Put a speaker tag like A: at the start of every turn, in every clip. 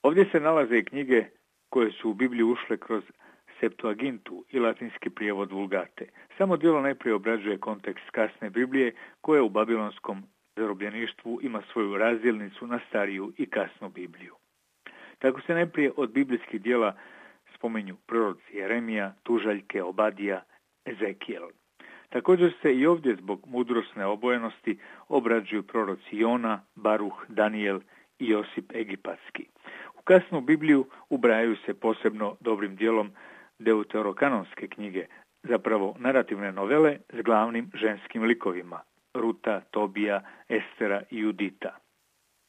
A: Ovdje se nalaze i knjige koje su u Bibliju ušle kroz Septuagintu i latinski prijevod Vulgate. Samo djelo najprije obrađuje kontekst kasne Biblije koja u babilonskom zarobljeništvu ima svoju razdjelnicu na stariju i kasnu Bibliju. Tako se najprije od biblijskih djela spominju proroci Jeremija, Tužaljke, Obadija, Ezekijel. Također se i ovdje zbog mudrosne obojenosti obrađuju proroci Jona, Baruh, Danijel i Josip Egipatski. U kasnu Bibliju ubrajaju se posebno dobrim dijelom deuterokanonske knjige, zapravo narativne novele s glavnim ženskim likovima, Ruta, Tobija, Estera i Judita.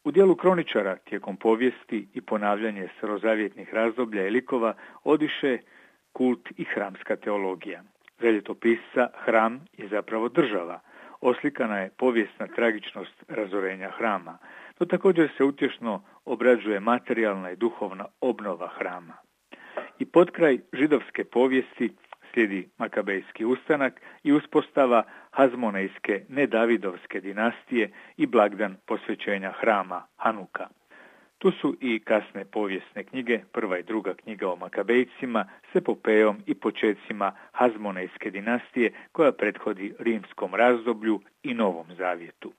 A: U dijelu kroničara tijekom povijesti i ponavljanje starozavjetnih razdoblja i likova odiše kult i hramska teologija. Za ljetopisca hram je zapravo država. Oslikana je povijesna tragičnost razorenja hrama. To također se utješno obrađuje materijalna i duhovna obnova hrama. I potkraj židovske povijesti slijedi Makabejski ustanak i uspostava Hazmonejske nedavidovske dinastije i blagdan posvećenja hrama Hanuka. Tu su i kasne povijesne knjige, prva i druga knjiga o Makabejcima s epopejom i počecima Hazmonejske dinastije koja prethodi rimskom razdoblju i Novom Zavjetu.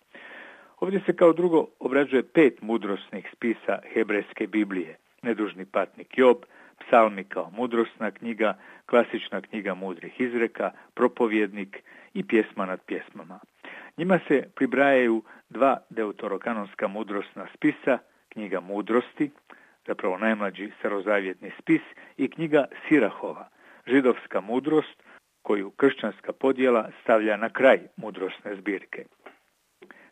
A: Ovdje se kao drugo obrađuje 5 mudrosnih spisa hebrejske Biblije, Nedužni patnik Job, Psalmi kao mudrosna knjiga, klasična knjiga mudrih izreka, Propovjednik i Pjesma nad pjesmama. Njima se pribrajaju 2 deuterokanonska mudrosna spisa, knjiga mudrosti, zapravo najmlađi starozavjetni spis, i knjiga Sirahova, židovska mudrost koju kršćanska podjela stavlja na kraj mudrosne zbirke.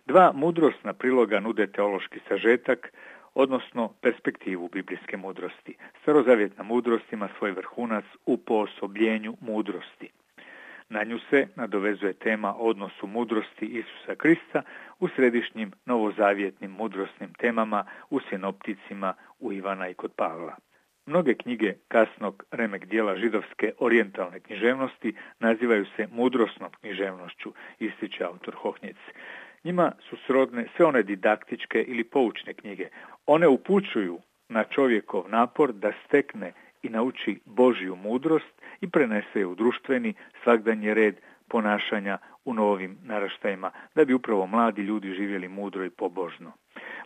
A: 2 mudrosna priloga nude teološki sažetak, odnosno perspektivu biblijske mudrosti. Starozavjetna mudrost ima svoj vrhunac u poosobljenju mudrosti. Na nju se nadovezuje tema o odnosu mudrosti Isusa Krista u središnjim novozavjetnim mudrosnim temama, u sinopticima, u Ivana i kod Pavla. Mnoge knjige kasnog remek dijela židovske orijentalne književnosti nazivaju se mudrosnom književnošću, ističe autor Hohnjec. Njima su srodne sve one didaktičke ili poučne knjige. One upućuju na čovjekov napor da stekne i nauči Božju mudrost i prenese je u društveni svagdanji red ponašanja u novim naraštajima, da bi upravo mladi ljudi živjeli mudro i pobožno.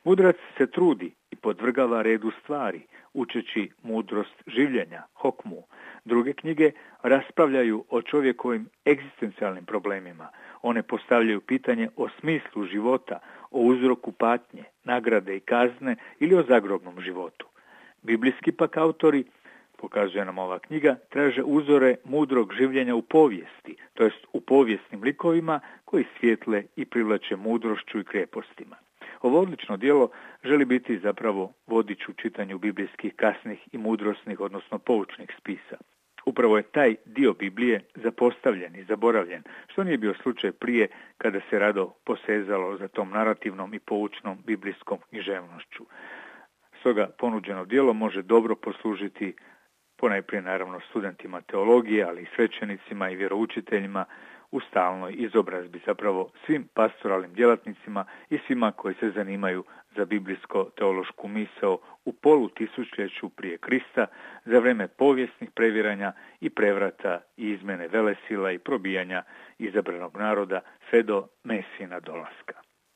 A: Mudrac se trudi i podvrgava redu stvari, učeći mudrost življenja, hokmu. Druge knjige raspravljaju o čovjekovim egzistencijalnim problemima. One postavljaju pitanje o smislu života, o uzroku patnje, nagrade i kazne ili o zagrobnom životu. Biblijski pak autori, pokazuje nam ova knjiga, traže uzore mudrog življenja u povijesti, to jest u povijesnim likovima koji svijetle i privlače mudrošću i krepostima. Ovo odlično djelo želi biti zapravo vodič u čitanju biblijskih kasnih i mudrosnih, odnosno poučnih spisa. Upravo je taj dio Biblije zapostavljen i zaboravljen, što nije bio slučaj prije kada se rado posezalo za tom narativnom i poučnom biblijskom književnošću. Stoga ponuđeno djelo može dobro poslužiti ponajprije naravno studentima teologije, ali i svećenicima i vjeroučiteljima u stalnoj izobrazbi, zapravo svim pastoralnim djelatnicima i svima koji se zanimaju za biblijsko-teološku misao u polutisućljeću prije Krista, za vrijeme povijesnih previranja i prevrata i izmjene velesila i probijanja izabranog naroda sve do Mesijina dolaska.